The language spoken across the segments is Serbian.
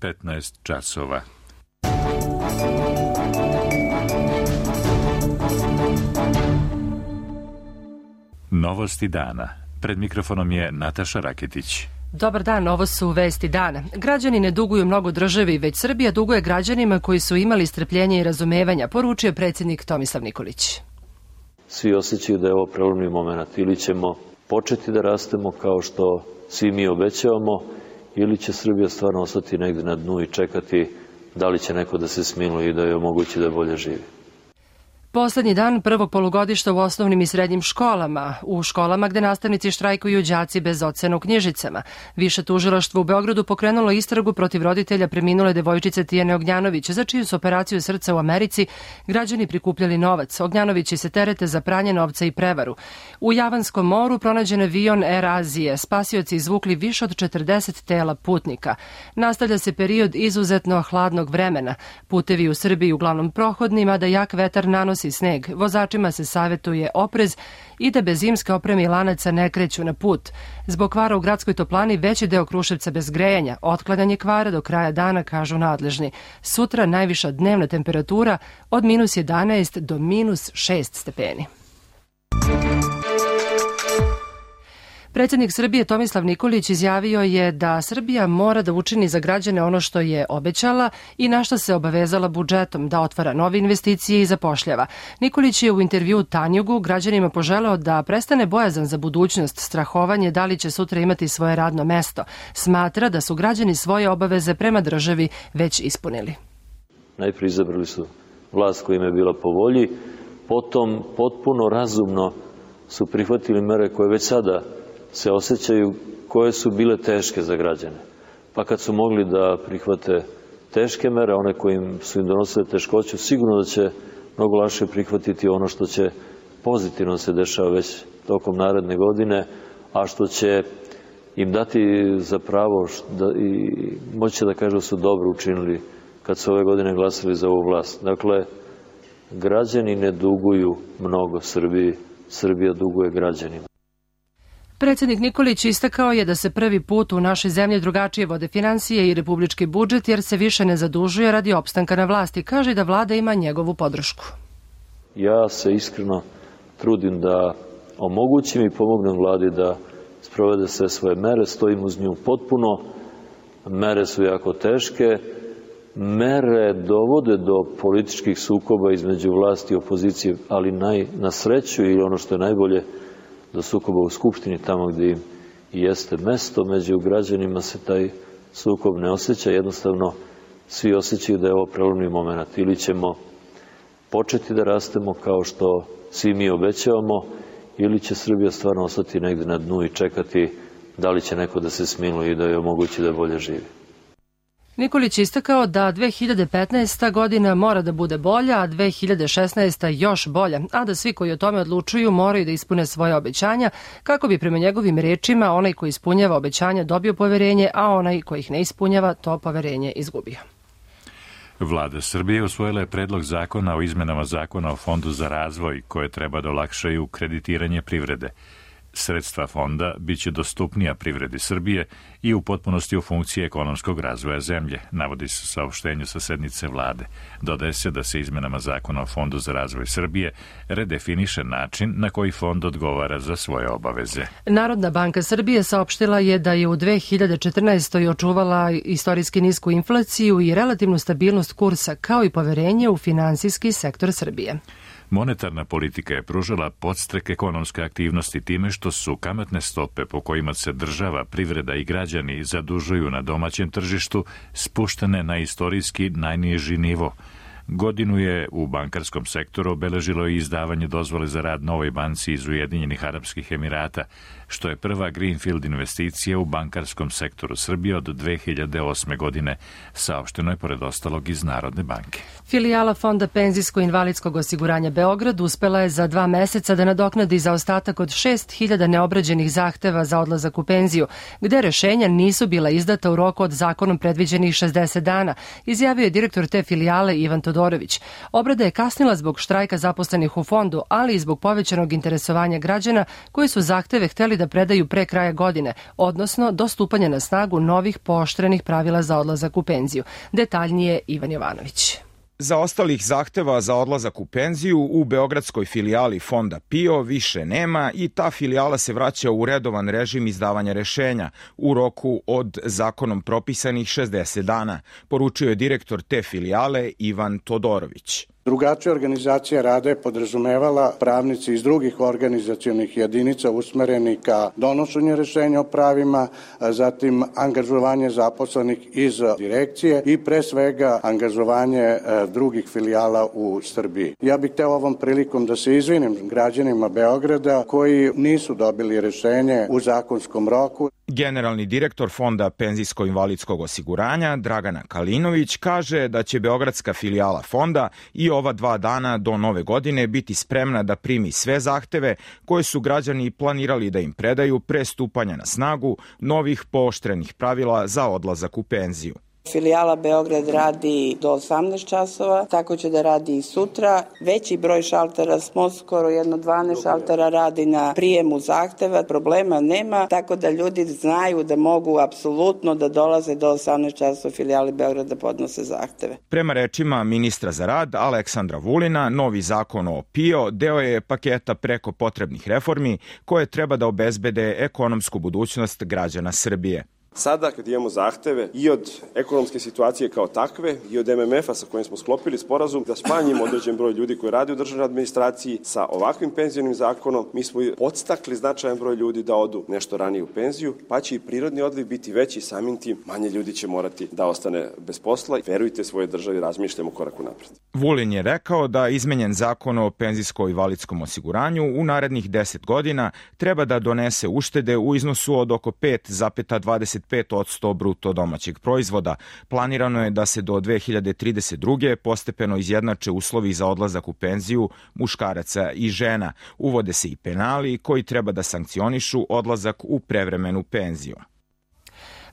15 časova. Novosti dana. Pred mikrofonom je Nataša Raketić. Dobar dan, ovo su vesti dana. Građani ne duguju mnogo državi, već Srbija duguje građanima koji su imali strpljenja i razumevanja, poručio predsjednik Tomislav Nikolić. Svi osjećaju da je ovo prelomni moment. Ili ćemo početi da rastemo kao što svi mi obećavamo, ili će Srbija stvarno ostati negde na dnu i čekati da li će neko da se smiluje i da joj omogući da bolje živi. Poslednji dan prvog polugodišta u osnovnim i srednjim školama. U školama gde nastavnici štrajkuju đaci bez ocena u knjižicama. Više tužilaštvo u Beogradu pokrenulo istragu protiv roditelja preminule devojčice Tijane Ognjanović, za čiju su operaciju srca u Americi građani prikupljali novac. Ognjanovići se terete za pranje novca i prevaru. U Javanskom moru pronađen avion Air Azije. Spasioci izvukli više od 40 tela putnika. Nastavlja se period izuzetno hladnog vremena. Putevi u Srbiji uglavnom prohodni, mada jak vetar nanosi sneg. Vozačima se savetuje oprez i da bez zimske opreme i lanaca ne kreću na put. Zbog kvara u gradskoj toplani veći deo Kruševca bez grejanja. Otklanjanje kvara do kraja dana, kažu nadležni. Sutra najviša dnevna temperatura od -11 do -6 stepeni. Predsjednik Srbije Tomislav Nikolić izjavio je da Srbija mora da učini za građane ono što je obećala i na što se obavezala budžetom, da otvara nove investicije i zapošljava. Nikolić je u intervjuu Tanjugu građanima poželeo da prestane bojazan za budućnost, strahovanje da li će sutra imati svoje radno mesto. Smatra da su građani svoje obaveze prema državi već ispunili. Najprije izabrali su vlast koja im je bila po volji, potom potpuno razumno su prihvatili mere koje već sada se osjećaju, koje su bile teške za građane. Pa kad su mogli da prihvate teške mere, one koje su im donosile teškoću, sigurno da će mnogo lakše prihvatiti ono što će pozitivno se dešava već tokom naredne godine, a što će im dati za pravo i moći da kažu da su dobro učinili kad su ove godine glasali za ovu vlast. Dakle, građani ne duguju mnogo Srbiji, Srbija duguje građanima. Predsjednik Nikolić istakao je da se prvi put u našoj zemlji drugačije vode finansije i republički budžet jer se više ne zadužuje radi opstanka na vlasti. Kaže da vlada ima njegovu podršku. Ja se iskreno trudim da omogućim i pomognem vladi da sprovede sve svoje mere, stojim uz nju potpuno. Mere su jako teške, mere dovode do političkih sukoba između vlasti i opozicije, ali na sreću ili ono što je najbolje, do sukoba u Skupštini, tamo gdje im i jeste mesto, među građanima se taj sukob ne osjeća, jednostavno svi osjećaju da je ovo prelomni moment. Ili ćemo početi da rastemo kao što svi mi obećavamo, ili će Srbija stvarno ostati negde na dnu i čekati da li će neko da se smiluje i da joj omogući da bolje živi. Nikolić istakao da 2015. godina mora da bude bolja, a 2016. još bolja, a da svi koji o tome odlučuju moraju da ispune svoje obećanja, kako bi prema njegovim rečima onaj koji ispunjava obećanja dobio poverenje, a onaj koji ih ne ispunjava to poverenje izgubio. Vlada Srbije usvojila je predlog zakona o izmenama zakona o Fondu za razvoj, koje treba da olakšaju kreditiranje privrede. Sredstva fonda biće dostupnija privredi Srbije i u potpunosti u funkciji ekonomskog razvoja zemlje, navodi se u saopštenju sa sednice vlade. Dodaje se da se izmenama zakona o Fondu za razvoj Srbije redefiniše način na koji fond odgovara za svoje obaveze. Narodna banka Srbije saopštila je da je u 2014. očuvala istorijski nisku inflaciju i relativnu stabilnost kursa, kao i poverenje u finansijski sektor Srbije. Monetarna politika je pružala podstrek ekonomske aktivnosti time što su kamatne stope po kojima se država, privreda i građani zadužuju na domaćem tržištu spuštene na istorijski najniži nivo. Godinu je u bankarskom sektoru obeležilo i izdavanje dozvole za rad novoj banci iz Ujedinjenih Arapskih Emirata, što je prva greenfield investicija u bankarskom sektoru Srbije od 2008. godine, saopšteno je pored ostalog iz Narodne banke. Filijala Fonda penzijsko-invalidskog osiguranja Beograd uspela je za 2 meseca da nadoknadi zaostatak od 6.000 neobrađenih zahteva za odlazak u penziju, gde rešenja nisu bila izdata u roku od zakonom predviđenih 60 dana, izjavio je direktor te filijale Ivan Todorović Todorović. Obrada je kasnila zbog štrajka zaposlenih u fondu, ali i zbog povećanog interesovanja građana koji su zahteve hteli da predaju pre kraja godine, odnosno do stupanja na snagu novih pooštrenih pravila za odlazak u penziju. Detaljnije Ivan Jovanović. Zaostalih zahteva za odlazak u penziju u beogradskoj filijali Fonda PIO više nema i ta filijala se vraća u redovan režim izdavanja rešenja u roku od zakonom propisanih 60 dana, poručio je direktor te filijale Ivan Todorović. Drugačija organizacija rada je podrazumevala pravnici iz drugih organizacionih jedinica usmereni ka donošenju rešenja o pravima, zatim angažovanje zaposlenih iz direkcije i pre svega angažovanje drugih filijala u Srbiji. Ja bih hteo ovom prilikom da se izvinim građanima Beograda koji nisu dobili rešenje u zakonskom roku. Generalni direktor Fonda penzijsko-invalidskog osiguranja Dragana Kalinović kaže da će beogradska filijala fonda i ova 2 dana do nove godine biti spremna da primi sve zahteve koje su građani planirali da im predaju pre stupanja na snagu novih pooštrenih pravila za odlazak u penziju. Filijala Beograd radi do 18 časova, tako će da radi i sutra. Veći broj šaltera, smo skoro 12 šaltera radi na prijemu zahteva, problema nema, tako da ljudi znaju da mogu apsolutno da dolaze do 18 časova filijali Beograd da podnose zahteve. Prema rečima ministra za rad Aleksandra Vulina, novi zakon o PIO deo je paketa preko potrebnih reformi koje treba da obezbede ekonomsku budućnost građana Srbije. Sada kad imamo zahteve i od ekonomske situacije kao takve i od MMF-a sa kojim smo sklopili sporazum da smanjimo određen broj ljudi koji rade u državnoj administraciji sa ovakvim penzionim zakonom, mi smo podstakli značajan broj ljudi da odu nešto ranije u penziju, pa će i prirodni odliv biti veći, samim tim manje ljudi će morati da ostane bez posla. Verujte svojoj državi, razmišljamo korak unapred. Vulin je rekao da izmenjen zakon o penzijsko-invalidskom osiguranju u narednih 10 godina treba da donese uštede u iznosu od oko 5,25% bruto domaćeg proizvoda. Planirano je da se do 2032. postepeno izjednače uslovi za odlazak u penziju muškaraca i žena. Uvode se i penali koji treba da sankcionišu odlazak u prevremenu penziju.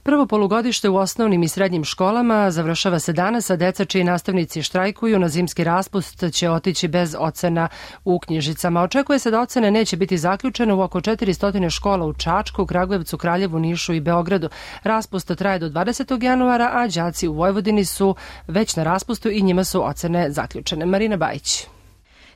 Prvo polugodište u osnovnim i srednjim školama završava se danas, a deca čiji nastavnici štrajkuju na zimski raspust će otići bez ocena u knjižicama. Očekuje se da ocene neće biti zaključene u oko 400 škola u Čačku, Kragujevcu, Kraljevu, Nišu i Beogradu. Raspust traje do 20. januara, a đaci u Vojvodini su već na raspustu i njima su ocene zaključene. Marina Bajić.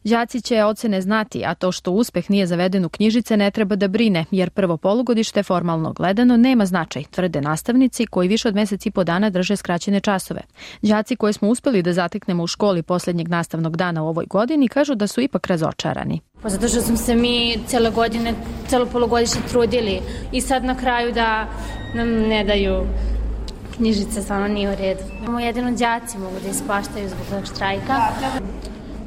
Đaci će ocene znati, a to što uspeh nije zaveden u knjižice ne treba da brine, jer prvo polugodište formalno gledano nema značaj, tvrde nastavnici koji više od mesec i po dana drže skraćene časove. Đaci koje smo uspeli da zateknemo u školi poslednjeg nastavnog dana u ovoj godini kažu da su ipak razočarani. Pa zato što smo se mi celo polugodište trudili i sad na kraju da nam ne daju knjižice, stvarno nije u redu. Jedino đaci mogu da ispaštaju zbog tog štrajka.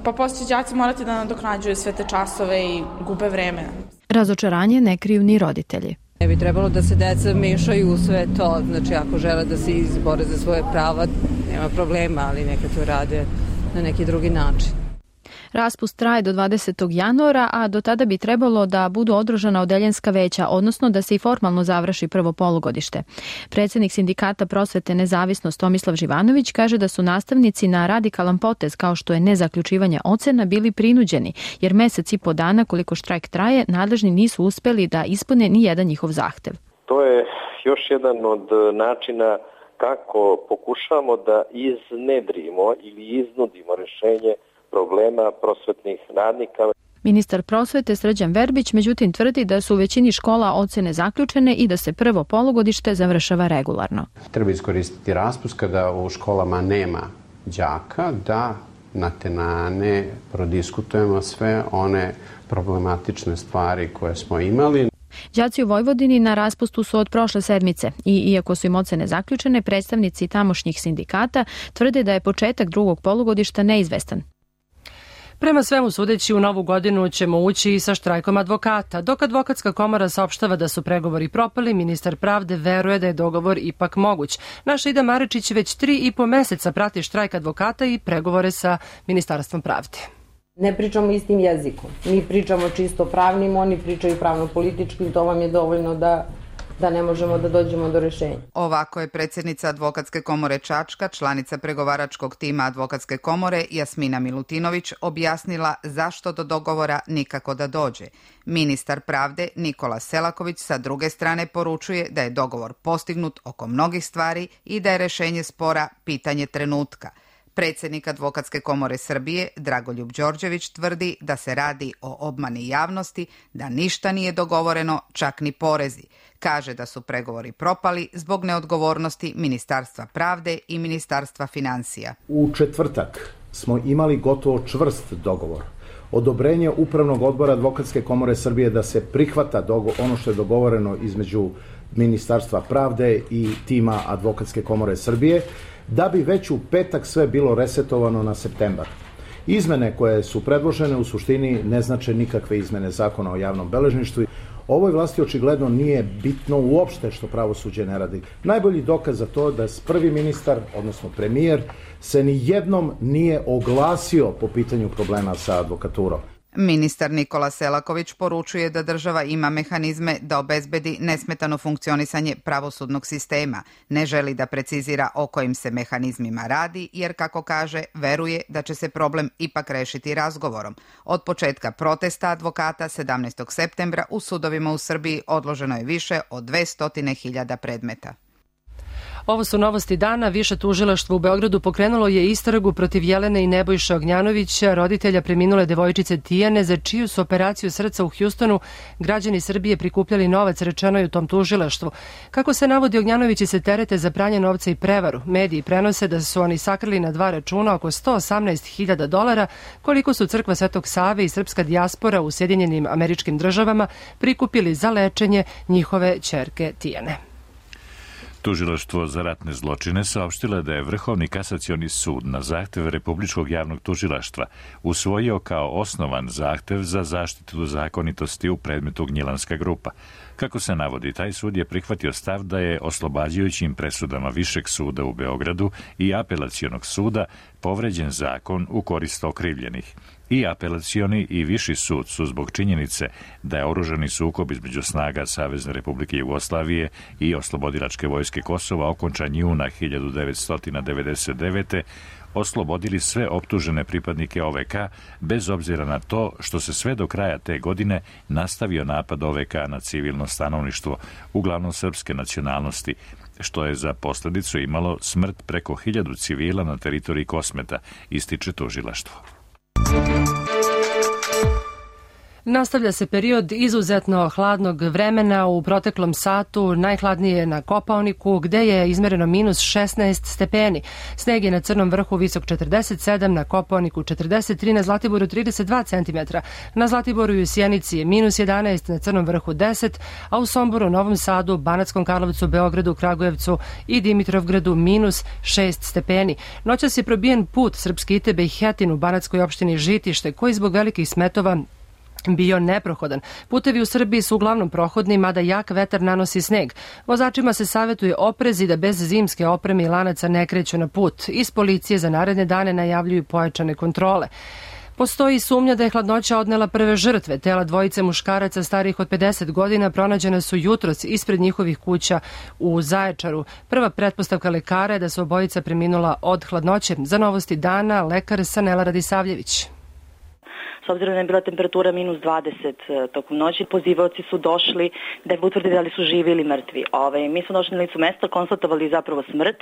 Pa poslije đaci morati da nadoknađuju sve te časove i gube vreme. Razočaranje ne kriju ni roditelji. Ne bi trebalo da se deca mešaju u sve to, znači ako žele da se izbore za svoje prava, nema problema, ali neka to rade na neki drugi način. Raspust traje do 20. januara, a do tada bi trebalo da budu održana odeljenska veća, odnosno da se i formalno završi prvo polugodište. Predsjednik sindikata prosvete Nezavisnost Tomislav Živanović kaže da su nastavnici na radikalan potez kao što je nezaključivanje ocena bili prinuđeni, jer mesec i po dana koliko štrajk traje, nadležni nisu uspeli da ispune ni jedan njihov zahtev. To je još jedan od načina kako pokušamo da iznedrimo ili iznudimo rešenje problema prosvetnih radnika. Ministar prosvete Srđan Verbić međutim tvrdi da su u većini škola ocene zaključene i da se prvo polugodište završava regularno. Treba iskoristiti raspust kada u školama nema đaka da na tenane prodiskutujemo sve one problematične stvari koje smo imali. Đaci u Vojvodini na raspustu su od prošle sedmice i iako su im ocene zaključene, predstavnici tamošnjih sindikata tvrde da je početak drugog polugodišta neizvestan. Prema svemu sudeći, u novu godinu ćemo ući i sa štrajkom advokata. Dok advokatska komora saopštava da su pregovori propali, ministar pravde veruje da je dogovor ipak moguć. Naša Ida Marečić već 3,5 meseca prati štrajk advokata i pregovore sa Ministarstvom pravde. Ne pričamo istim jezikom. Mi pričamo čisto pravnim, oni pričaju pravno-političkim, to vam je dovoljno da da ne možemo da dođemo do rešenja. Ovako je predsjednica Advokatske komore Čačka, članica pregovaračkog tima Advokatske komore Jasmina Milutinović objasnila zašto do dogovora nikako da dođe. Ministar pravde Nikola Selaković sa druge strane poručuje da je dogovor postignut oko mnogih stvari i da je rešenje spora pitanje trenutka. Predsjednik Advokatske komore Srbije Dragoljub Đorđević tvrdi da se radi o obmani javnosti, da ništa nije dogovoreno, čak ni porezi. Kaže da su pregovori propali zbog neodgovornosti Ministarstva pravde i Ministarstva financija. U četvrtak smo imali gotovo čvrst dogovor. Odobrenje Upravnog odbora Advokatske komore Srbije da se prihvata ono što je dogovoreno između Ministarstva pravde i tima Advokatske komore Srbije, da bi već u petak sve bilo resetovano na septembar. Izmene koje su predložene u suštini ne znače nikakve izmene zakona o javnom beležništvu. Ovoj vlasti očigledno nije bitno uopšte što pravosuđe ne radi. Najbolji dokaz za to da prvi ministar, odnosno premijer, se ni jednom nije oglasio po pitanju problema sa advokaturom. Ministar Nikola Selaković poručuje da država ima mehanizme da obezbedi nesmetano funkcionisanje pravosudnog sistema. Ne želi da precizira o kojim se mehanizmima radi, jer, kako kaže, veruje da će se problem ipak rešiti razgovorom. Od početka protesta advokata 17. septembra u sudovima u Srbiji odloženo je više od 200.000 predmeta. Ovo su novosti dana. Više tužilaštvo u Beogradu pokrenulo je istragu protiv Jelene i Nebojše Ognjanovića, roditelja preminule devojčice Tijane, za čiju su operaciju srca u Hjustonu građani Srbije prikupljali novac, rečeno je u tom tužilaštvu. Kako se navodi, Ognjanovići se terete za pranje novca i prevaru. Mediji prenose da su oni sakrili na 2 računa oko $118.000, koliko su Crkva Svetog Save i srpska dijaspora u Sjedinjenim Američkim Državama prikupili za lečenje njihove ćerke Tijane. Tužilaštvo za ratne zločine saopštilo da je Vrhovni kasacioni sud na zahtev Republičkog javnog tužilaštva usvojio kao osnovan zahtev za zaštitu zakonitosti u predmetu Gnjilanska grupa. Kako se navodi, taj sud je prihvatio stav da je oslobađajućim presudama Višeg suda u Beogradu i Apelacionog suda povređen zakon u korist okrivljenih. I Apelacioni i Viši sud su zbog činjenice da je oružani sukob između snaga Savezne Republike Jugoslavije i Oslobodilačke vojske Kosova okončan juna 1999. oslobodili sve optužene pripadnike OVK, bez obzira na to što se sve do kraja te godine nastavio napad OVK na civilno stanovništvo, uglavnom srpske nacionalnosti, što je za posledicu imalo smrt preko 1000 civila na teritoriji Kosmeta, ističe tužilaštvo. Nastavlja se period izuzetno hladnog vremena. U proteklom satu najhladnije je na Kopaoniku, gde je izmereno minus 16 stepeni. Sneg je na Crnom vrhu visok 47, na Kopaoniku 43, na Zlatiboru 32 cm. Na Zlatiboru i u Sjenici je minus 11, na Crnom vrhu 10, a u Somboru, Novom Sadu, Banatskom Karlovcu, Beogradu, Kragujevcu i Dimitrovgradu minus 6 stepeni. Noćas je probijen put Srpske Itebe i Hetin u banatskoj opštini Žitište, koji zbog velikih smetova bio neprohodan. Putevi u Srbiji su uglavnom prohodni, mada jak vetar nanosi sneg. Vozačima se savjetuje oprez i da bez zimske opreme i lanaca ne kreću na put. Iz policije za naredne dane najavljuju pojačane kontrole. Postoji sumnja da je hladnoća odnela prve žrtve. Tela dvojice muškaraca starih od 50 godina pronađena su jutros ispred njihovih kuća u Zaječaru. Prva pretpostavka lekara je da su obojica preminula od hladnoće. Za novosti dana, lekar Sanela Radisavljević. S obzirom da je bila temperatura minus 20 tokom noći, pozivaoci su došli da utvrde da li su živi ili mrtvi. Mi smo došli na licu mesta, konstatovali zapravo smrt,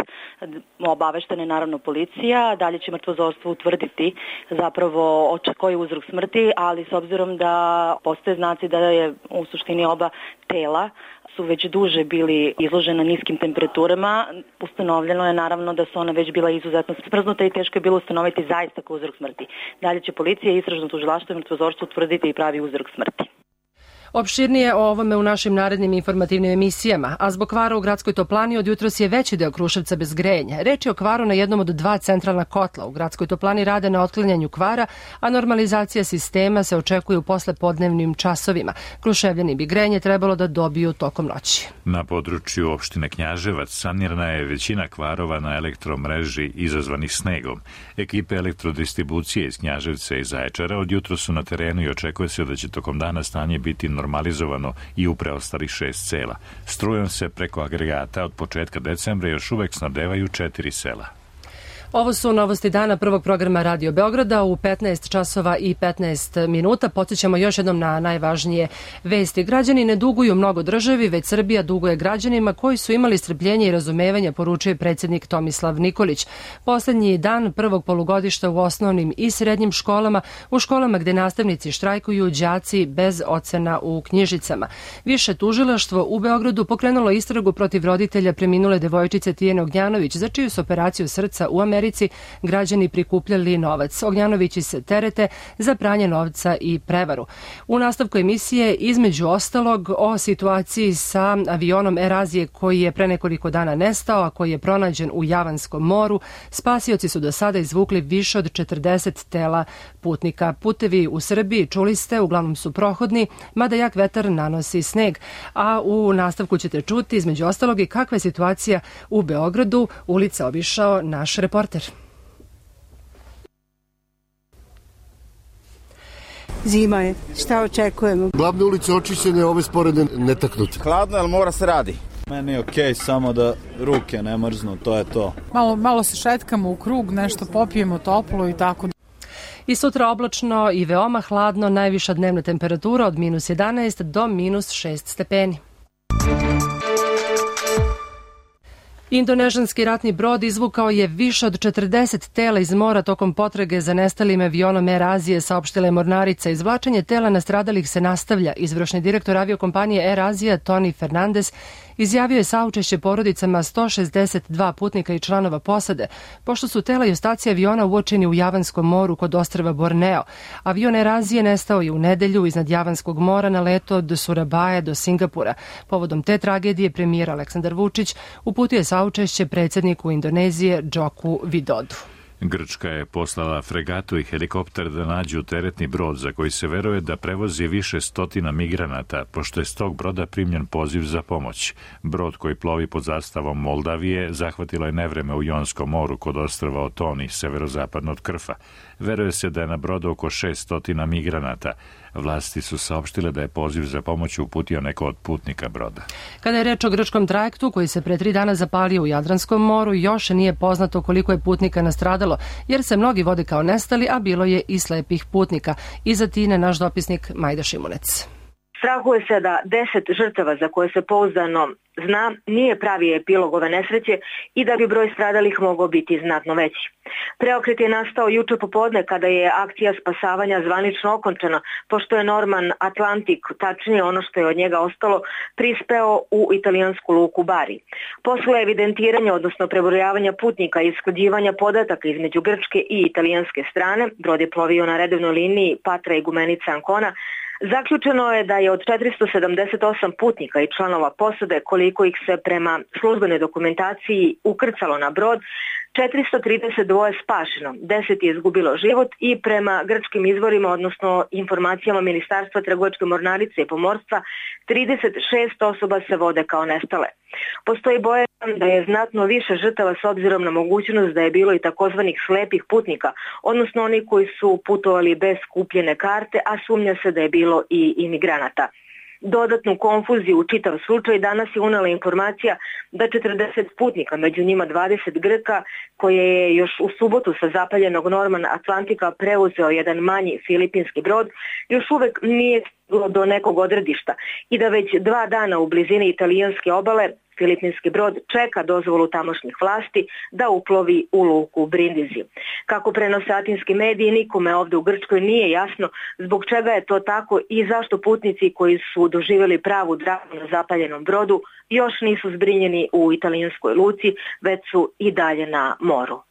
obaveštena je naravno policija, dalje će mrtvozorstvo utvrditi zapravo koji je uzrok smrti, ali s obzirom da postoje znaci da je u suštini oba tela su već duže bili izložena niskim temperaturama, ustanovljeno je naravno da su ona već bila izuzetno smrznuta i teško je bilo ustanoviti zaista ko uzrok smrti. Dalje će policija, istražno tužilaštvo i mrtvozorstvo utvrditi i pravi uzrok smrti. Opširnije o ovome u našim narednim informativnim emisijama, a zbog kvara u gradskoj toplani od jutros je veći deo Kruševca bez grejanja. Reč je o kvaru na jednom od 2 centralna kotla. U gradskoj toplani rade na otklanjanju kvara, a normalizacija sistema se očekuje u poslepodnevnim časovima. Kruševljani bi grejanje trebalo da dobiju tokom noći. Na području opštine Knjaževac sanirana je većina kvarova na elektromreži izazvanih snegom. Ekipe elektrodistribucije iz Knjaževca i Zaječara od jutros su na terenu i očekuje se da će tokom dana stanje biti normalizovano i u preostalih 6 sela. Strujom se preko agregata od početka decembra još uvek snabdevaju 4 sela. Ovo su novosti dana prvog programa Radio Beograda u 15 časova i 15 minuta. Podsjećamo još jednom na najvažnije vesti. Građani ne duguju mnogo državi, već Srbija duguje građanima koji su imali strpljenje i razumevanja, poručuje predsjednik Tomislav Nikolić. Poslednji dan prvog polugodišta u osnovnim i srednjim školama, u školama gde nastavnici štrajkuju, đaci bez ocena u knjižicama. Više tužilaštvo u Beogradu pokrenulo istragu protiv roditelja preminule devojčice Tijene Ognjanović, za čiju su operaciju srca u Americi građani prikupljali novac. Ognjanovići se terete za pranje novca i prevaru. U nastavku emisije, između ostalog, o situaciji sa avionom Air Azije koji je pre nekoliko dana nestao, a koji je pronađen u Javanskom moru. Spasioci su do sada izvukli više od 40 tela putnika. Putevi u Srbiji, čuli ste, uglavnom su prohodni, mada jak vetar nanosi sneg. A u nastavku ćete čuti, između ostalog, i kakva je situacija u Beogradu. Ulica obišao naš reporter. Zima je, šta očekujemo? Glavne ulice očišćene, ove sporedne netaknute. Hladno, ali mora se radi. Meni je okej, samo da ruke ne mrznu, to je to. Malo se šetkamo u krug, nešto popijemo toplo i tako. I sutra oblačno i veoma hladno, najviša dnevna temperatura od -11 do -6 stepeni. Indonežanski ratni brod izvukao je više od 40 tela iz mora tokom potrage za nestalim avionom Air Azije, saopštila je mornarica. Izvlačenje tela nastradalih se nastavlja. Izvršni direktor aviokompanije Air Azija, Tony Fernandez, izjavio je saučešće porodicama 162 putnika i članova posade, pošto su tela i ostaci aviona uočeni u Javanskom moru kod ostrva Borneo. Avion Air Azije nestao je u nedelju iznad Javanskog mora na letu od Surabaje do Singapura. Povodom te tragedije premijer Aleksandar Vučić uputio je saučešće predsjedniku Indonezije Džoku Vidodu. Grčka je poslala fregatu i helikopter da nađu teretni brod za koji se veruje da prevozi više stotina migranata, pošto je s tog broda primljen poziv za pomoć. Brod koji plovi pod zastavom Moldavije zahvatilo je nevreme u Jonskom moru kod ostrva Otoni, severozapadno od Krfa. Veruje se da je na brodu oko 600 migranata. Vlasti su saopštile da je poziv za pomoć uputio neko od putnika broda. Kada je reč o grčkom trajektu koji se pre 3 dana zapalio u Jadranskom moru, još nije poznato koliko je putnika nastradalo, jer se mnogi vode kao nestali, a bilo je i slepih putnika. Iz Atine naš dopisnik Majda Šimunec. Strahuje se da 10 žrtava za koje se pouzdano zna nije pravi epilog ove nesreće i da bi broj stradalih mogao biti znatno veći. Preokret je nastao juče popodne kada je akcija spasavanja zvanično okončana, pošto je Norman Atlantik, tačnije ono što je od njega ostalo, prispeo u italijansku luku Bari. Posle evidentiranja, odnosno prebrojavanja putnika i usklađivanja podataka između grčke i italijanske strane, brod je plovio na redovnoj liniji Patra i Gumenica Ancona. Zaključeno je da je od 478 putnika i članova posade, koliko ih se prema službenoj dokumentaciji ukrcalo na brod, 432 spašeno, 10 je izgubilo život i prema grčkim izvorima, odnosno informacijama Ministarstva trgovačke mornarice i pomorstva, 36 osoba se vode kao nestale. Postoji bojazan da je znatno više žrtava s obzirom na mogućnost da je bilo i takozvanih slepih putnika, odnosno oni koji su putovali bez kupljene karte, a sumnja se da je bilo i imigranata. Dodatnu konfuziju u čitav slučaj danas je unela informacija da 40 putnika, među njima 20 Grka, koje je još u subotu sa zapaljenog Norman Atlantika preuzeo jedan manji filipinski brod, još uvek nije stiglo do nekog odredišta i da već 2 dana u blizini italijanske obale filipinski brod čeka dozvolu tamošnjih vlasti da uplovi u luku Brindisi. Kako prenose atinski mediji, nikome ovde u Grčkoj nije jasno zbog čega je to tako i zašto putnici koji su doživjeli pravu dramu na zapaljenom brodu još nisu zbrinjeni u italijanskoj luci, već su i dalje na moru.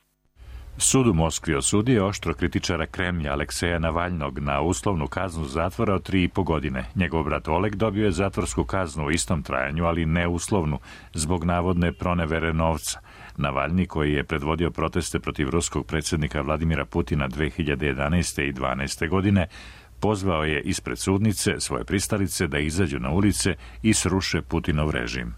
Sud u Moskvi osudio oštro kritičara Kremlja Alekseja Navalnog na uslovnu kaznu zatvora od 3,5 godine. Njegov brat Oleg dobio je zatvorsku kaznu u istom trajanju, ali ne uslovnu, zbog navodne pronevere novca. Navalni, koji je predvodio proteste protiv ruskog predsjednika Vladimira Putina 2011. i 2012. godine, pozvao je ispred sudnice svoje pristalice da izađu na ulice i sruše Putinov režim.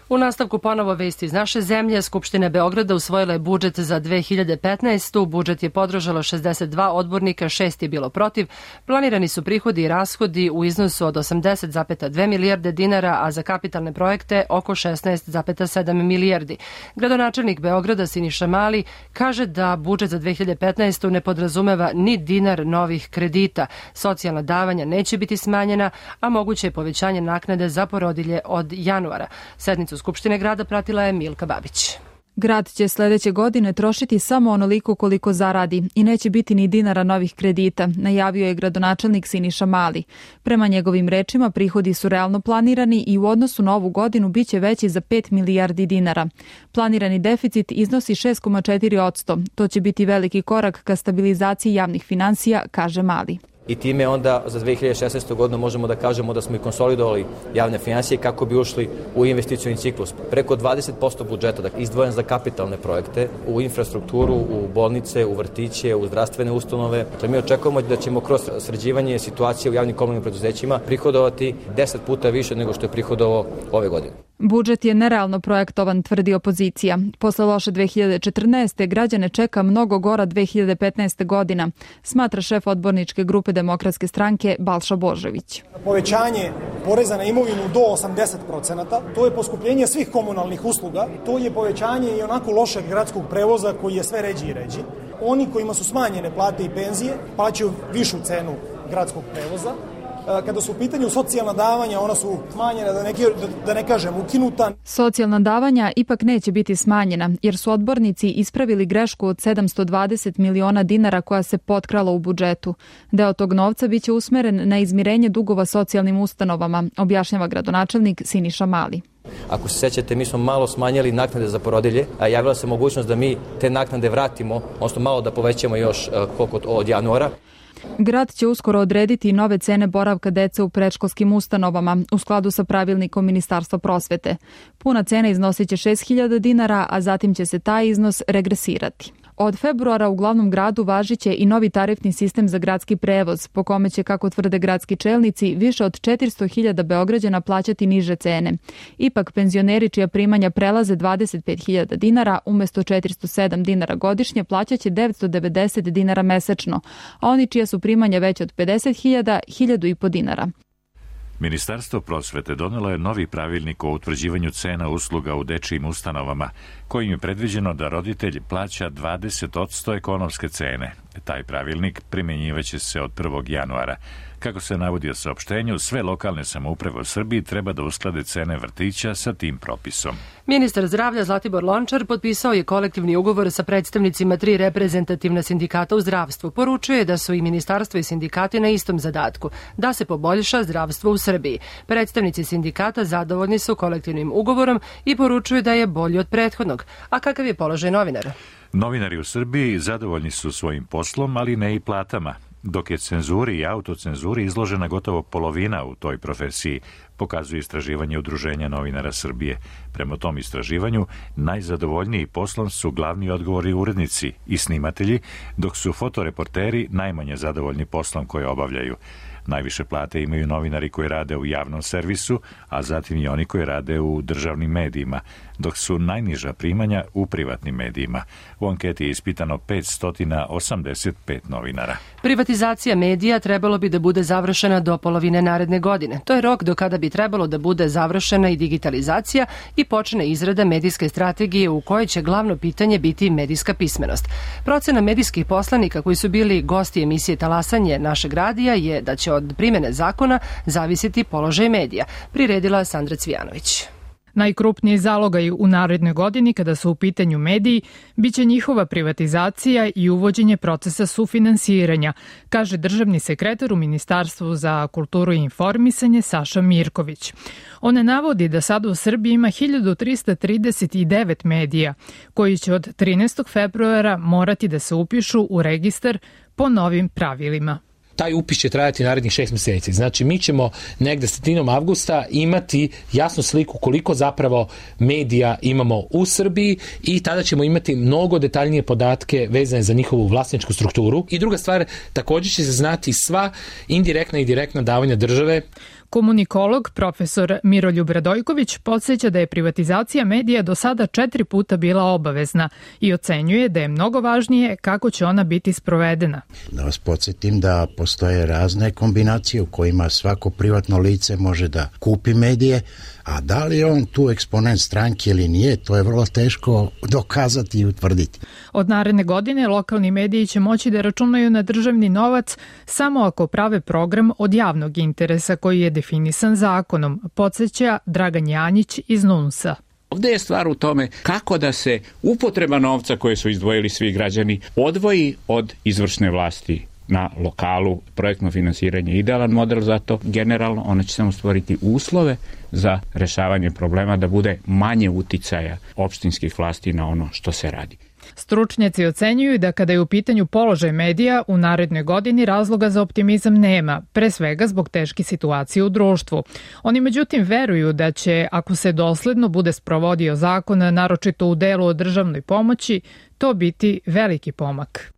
U nastavku ponovo vesti iz naše zemlje. Skupština Beograda usvojila je budžet za 2015. Budžet je podržalo 62 odbornika, 6 je bilo protiv. Planirani su prihodi i rashodi u iznosu od 80,2 milijarde dinara, a za kapitalne projekte oko 16,7 milijardi. Gradonačelnik Beograda Siniša Mali kaže da budžet za 2015. ne podrazumeva ni dinar novih kredita. Socijalna davanja neće biti smanjena, a moguće je povećanje naknade za porodilje od januara. Sednicu Skupštine grada pratila je Milka Babić. Grad će sledeće godine trošiti samo onoliko koliko zaradi i neće biti ni dinara novih kredita, najavio je gradonačelnik Siniša Mali. Prema njegovim rečima, prihodi su realno planirani i u odnosu na ovu godinu biće veći za 5 milijardi dinara. Planirani deficit iznosi 6,4%. To će biti veliki korak ka stabilizaciji javnih finansija, kaže Mali. I time onda za 2016. godinu možemo da kažemo da smo i konsolidovali javne finansije kako bi ušli u investicioni ciklus. Preko 20% budžeta izdvojen za kapitalne projekte, u infrastrukturu, u bolnice, u vrtiće, u zdravstvene ustanove. Dakle, mi očekujemo da ćemo kroz sređivanje situacije u javnim komunalnim preduzećima prihodovati 10 puta više nego što je prihodovao ove godine. Budžet je nerealno projektovan, tvrdi opozicija. Posle loše 2014. građane čeka mnogo gora 2015. godina, smatra šef odborničke grupe Demokratske stranke Balša Božović. Povećanje poreza na imovinu do 80%, to je poskupljenje svih komunalnih usluga, to je povećanje i onako lošeg gradskog prevoza koji je sve ređi i ređi. Oni kojima su smanjene plate i penzije plaćaju višu cenu gradskog prevoza. Kada su u pitanju socijalna davanja, ona su smanjena, da ne kažem ukinuta. Socijalna davanja ipak neće biti smanjena, jer su odbornici ispravili grešku od 720 miliona dinara koja se potkrala u budžetu. Deo tog novca biće usmeren na izmirenje dugova socijalnim ustanovama, objašnjava gradonačelnik Siniša Mali. Ako se sećate, mi smo malo smanjili naknade za porodilje, a javila se mogućnost da mi te naknade vratimo, odnosno malo da povećamo još koliko od januara. Grad će uskoro odrediti nove cene boravka dece u predškolskim ustanovama u skladu sa pravilnikom Ministarstva prosvete. Puna cena iznosit će 6.000 dinara, a zatim će se taj iznos regresirati. Od februara u glavnom gradu važiće i novi tarifni sistem za gradski prevoz, po kome će, kako tvrde gradski čelnici, više od 400.000 Beograđana plaćati niže cene. Ipak, penzioneri čija primanja prelaze 25.000 dinara, umesto 407 dinara godišnje, plaćaće 990 dinara mesečno, a oni čija su primanja veće od 50.000, 1.500 dinara. Ministarstvo prosvete donelo je novi pravilnik o utvrđivanju cena usluga u dečijim ustanovama, kojim je predviđeno da roditelj plaća 20% ekonomske cene. Taj pravilnik primjenjivaće se od 1. januara. Kako se navodi u saopštenju, sve lokalne samouprave u Srbiji treba da usklade cene vrtića sa tim propisom. Ministar zdravlja Zlatibor Lončar potpisao je kolektivni ugovor sa predstavnicima 3 reprezentativna sindikata u zdravstvu. Poručuje da su i ministarstvo i sindikati na istom zadatku, da se poboljša zdravstvo u Srbiji. Predstavnici sindikata zadovoljni su kolektivnim ugovorom i poručuju da je bolji od prethodnog. A kakav je položaj novinara? Novinari u Srbiji zadovoljni su svojim poslom, ali ne i platama. Dok je cenzuri i autocenzuri izložena gotovo polovina u toj profesiji, pokazuje istraživanje Udruženja novinara Srbije. Prema tom istraživanju, najzadovoljniji poslom su glavni odgovori urednici i snimatelji, dok su fotoreporteri najmanje zadovoljni poslom koje obavljaju. Najviše plate imaju novinari koji rade u javnom servisu, a zatim i oni koji rade u državnim medijima, dok su najniža primanja u privatnim medijima. U anketi je ispitano 585 novinara. Privatizacija medija trebalo bi da bude završena do polovine naredne godine. To je rok do kada bi trebalo da bude završena i digitalizacija i počne izrada medijske strategije u kojoj će glavno pitanje biti medijska pismenost. Procena medijskih poslanika koji su bili gosti emisije Talasanje našeg radija je da će od primene zakona zavisiti položaj medija, priredila Sandra Cvijanović. Najkrupniji zalogaj u narednoj godini kada su u pitanju mediji biće njihova privatizacija i uvođenje procesa sufinansiranja, kaže državni sekretar u Ministarstvu za kulturu i informisanje Saša Mirković. On navodi da sada u Srbiji ima 1339 medija koji će od 13. februara morati da se upišu u registar po novim pravilima. Taj upis će trajati narednih 6 meseci. Znači, mi ćemo negde sredinom avgusta imati jasnu sliku koliko zapravo medija imamo u Srbiji i tada ćemo imati mnogo detaljnije podatke vezane za njihovu vlasničku strukturu. I druga stvar, također će se znati sva indirektna i direktna davanja države. Komunikolog profesor Miroljub Radojković podsjeća da je privatizacija medija do sada 4 puta bila obavezna i ocenjuje da je mnogo važnije kako će ona biti sprovedena. Da vas podsjetim da postoje razne kombinacije u kojima svako privatno lice može da kupi medije, a da li je on tu eksponent stranke ili nije, to je vrlo teško dokazati i utvrditi. Od naredne godine lokalni mediji će moći da računaju na državni novac samo ako prave program od javnog interesa koji je definisan zakonom, podsjeća Dragan Janjić iz NUNS-a. Ovdje je stvar u tome kako da se upotreba novca koje su izdvojili svi građani odvoji od izvršne vlasti na lokalu. Projektno finansiranje je idealan model za to. Generalno ona će samo stvoriti uslove za rešavanje problema, da bude manje uticaja opštinskih vlasti na ono što se radi. Stručnjaci ocenjuju da kada je u pitanju položaj medija u narednoj godini razloga za optimizam nema, pre svega zbog teške situacije u društvu. Oni međutim veruju da će, ako se dosledno bude sprovodio zakon, naročito u delu o državnoj pomoći, to biti veliki pomak.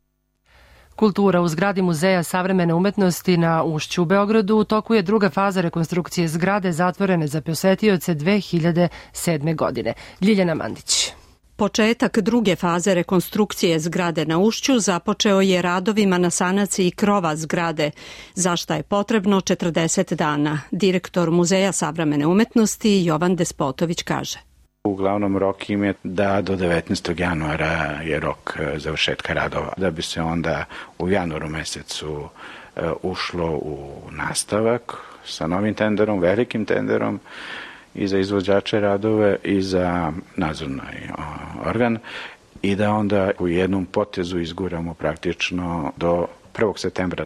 Kultura u zgradi Muzeja savremene umetnosti na Ušću u Beogradu u toku je druga faza rekonstrukcije zgrade zatvorene za posetioce 2007. godine. Ljiljana Mandić. Početak druge faze rekonstrukcije zgrade na Ušću započeo je radovima na sanaciji krova zgrade, za šta je potrebno 40 dana. Direktor Muzeja savremene umetnosti Jovan Despotović kaže. Uglavnom rok im je da do 19. januara je rok završetka radova, da bi se onda u januaru mesecu ušlo u nastavak sa novim tenderom, velikim tenderom i za izvođače radove i za nadzorni organ i da onda u jednom potezu izguramo praktično do 1. septembra.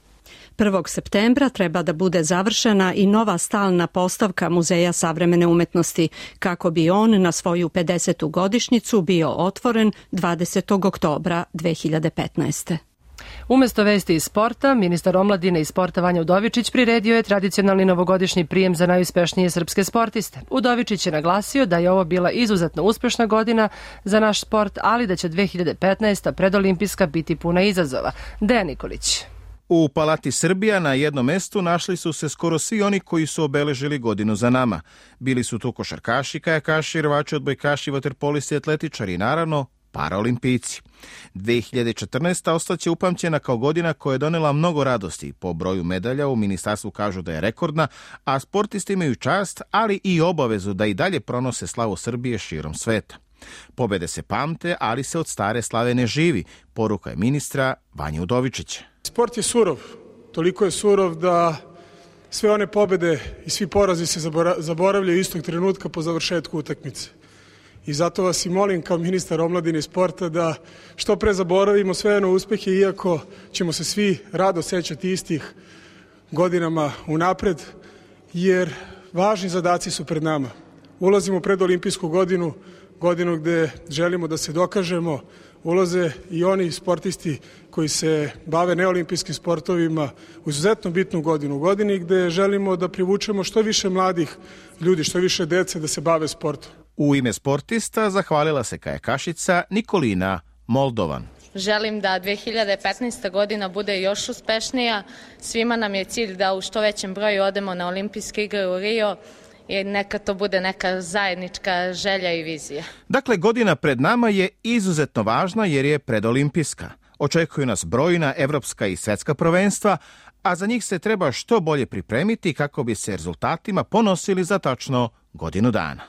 1. septembra treba da bude završena i nova stalna postavka Muzeja savremene umetnosti, kako bi on na svoju 50. godišnjicu bio otvoren 20. oktobra 2015. Umesto vesti iz sporta, ministar omladine i sporta Vanja Udovičić priredio je tradicionalni novogodišnji prijem za najuspešnije srpske sportiste. Udovičić je naglasio da je ovo bila izuzetno uspešna godina za naš sport, ali da će 2015. predolimpijska biti puna izazova. Dejan Nikolić. U Palati Srbija na jednom mestu našli su se skoro svi oni koji su obeležili godinu za nama. Bili su tu košarkaši, kajakaši, rvači, odbojkaši, vaterpolisti, atletičari i naravno paraolimpijci. 2014. ostaće upamćena kao godina koja je donela mnogo radosti. Po broju medalja u ministarstvu kažu da je rekordna, a sportisti imaju čast, ali i obavezu da i dalje pronose slavu Srbije širom sveta. Pobede se pamte, ali se od stare slave ne živi, poruka je ministra Vanja Udovičića. Sport je surov, toliko je surov da sve one pobede i svi porazi se zaboravljaju istog trenutka po završetku utakmice. I zato vas i molim kao ministar omladine i sporta da što pre zaboravimo sve one uspehe, iako ćemo se svi rado sećati istih godinama unapred, jer važni zadaci su pred nama. Ulazimo u predolimpijsku godinu, godinu gde želimo da se dokažemo, ulaze i oni sportisti koji se bave neolimpijskim sportovima u izuzetno bitnu godinu, u godini gde želimo da privučemo što više mladih ljudi, što više dece da se bave sportom. U ime sportista zahvalila se kajakašica Nikolina Moldovan. Želim da 2015. godina bude još uspešnija. Svima nam je cilj da u što većem broju odemo na olimpijske igre u Rio i neka to bude neka zajednička želja i vizija. Dakle, godina pred nama je izuzetno važna jer je predolimpijska. Očekuju nas brojna evropska i svetska prvenstva, a za njih se treba što bolje pripremiti kako bi se rezultatima ponosili za tačno godinu dana.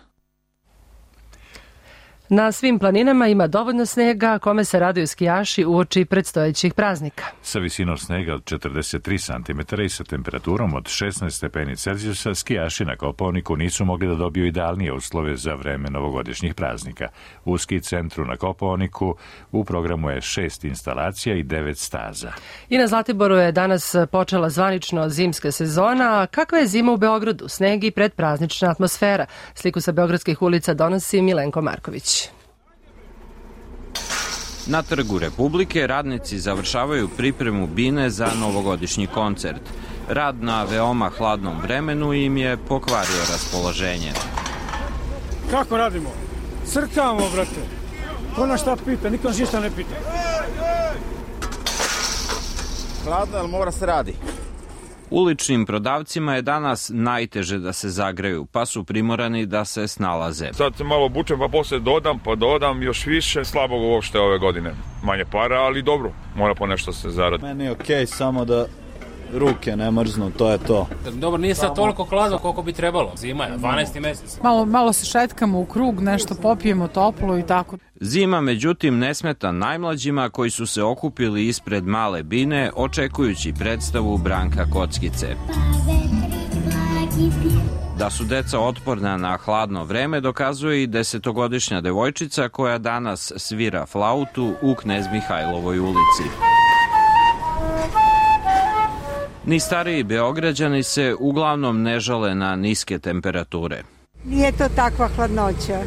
Na svim planinama ima dovoljno snega, kome se raduju skijaši uoči predstojećih praznika. Sa visinom snega od 43 cm i sa temperaturom od 16 stepeni Celzijusa, skijaši na Kopaoniku nisu mogli da dobiju idealnije uslove za vreme novogodišnjih praznika. U ski centru na Kopaoniku u programu je 6 instalacija i 9 staza. I na Zlatiboru je danas počela zvanično zimska sezona. Kakva je zima u Beogradu? Sneg i predpraznična atmosfera. Sliku sa beogradskih ulica donosi Milenko Marković. Na Trgu Republike radnici završavaju pripremu bine za novogodišnji koncert. Rad na veoma hladnom vremenu im je pokvario raspoloženje. Kako radimo? Crkamo, brate. Ko nas šta pita? Niko nas ništa ne pita. Hladno, ali mora se radi. Uličnim prodavcima je danas najteže da se zagreju, pa su primorani da se snalaze. Sad se malo obučem, pa posle dodam još više. Slabo uopšte ove godine. Manje para, ali dobro, mora po nešto se zaradi. Meni je okej, samo da ruke ne mrznu, to je to. Dobro, nije sad toliko hladno koliko bi trebalo. Zima je, 12. mesec. Malo se šetkamo u krug, nešto popijemo toplo i tako. Zima, međutim, ne smeta najmlađima koji su se okupili ispred male bine očekujući predstavu Branka Kockice. Da su deca otporna na hladno vreme dokazuje i 10-godišnja devojčica koja danas svira flautu u Knez Mihajlovoj ulici. Ni stariji Beograđani se uglavnom ne žale na niske temperature. Nije to takva hladnoća.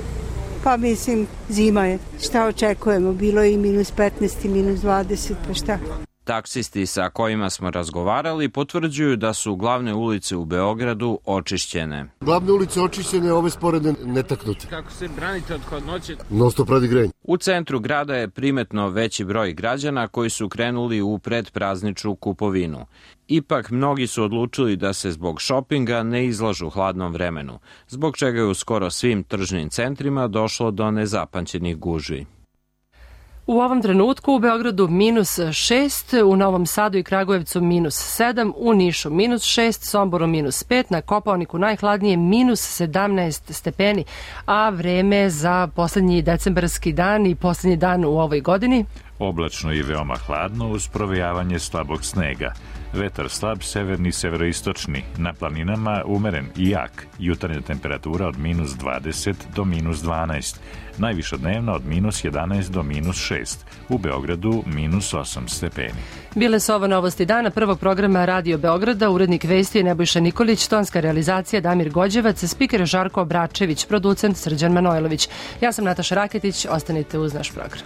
Pa mislim, zima je. Šta očekujemo? Bilo je i -15 i -20, pa šta? Taksisti sa kojima smo razgovarali potvrđuju da su glavne ulice u Beogradu očišćene. Glavne ulice očišćene, ove sporedne netaknute. Kako se branite od hladnoće? Non-stop radi grejanje. U centru grada je primetno veći broj građana koji su krenuli u predprazničnu kupovinu. Ipak, mnogi su odlučili da se zbog šopinga ne izlažu hladnom vremenu, zbog čega je u skoro svim tržnim centrima došlo do nezapamćenih gužvi. U ovom trenutku u Beogradu -6, u Novom Sadu i Kragujevcu -7, u Nišu -6, Somboru -5, na Kopaoniku najhladnije -17 stepeni, a vreme za poslednji decembarski dan i poslednji dan u ovoj godini? Oblačno i veoma hladno uz provejavanje slabog snega. Vetar slab, severni, severoistočni. Na planinama umeren i jak. Jutarnja temperatura od -20 do -12. Najviša dnevna od -11 do -6. U Beogradu -8 stepeni. Bile su ovo novosti dana prvog programa Radio Beograda. Urednik vesti je Nebojša Nikolić, tonska realizacija Damir Gođevac, spiker Žarko Obračević, producent Srđan Manojlović. Ja sam Nataša Raketić, ostanite uz naš program.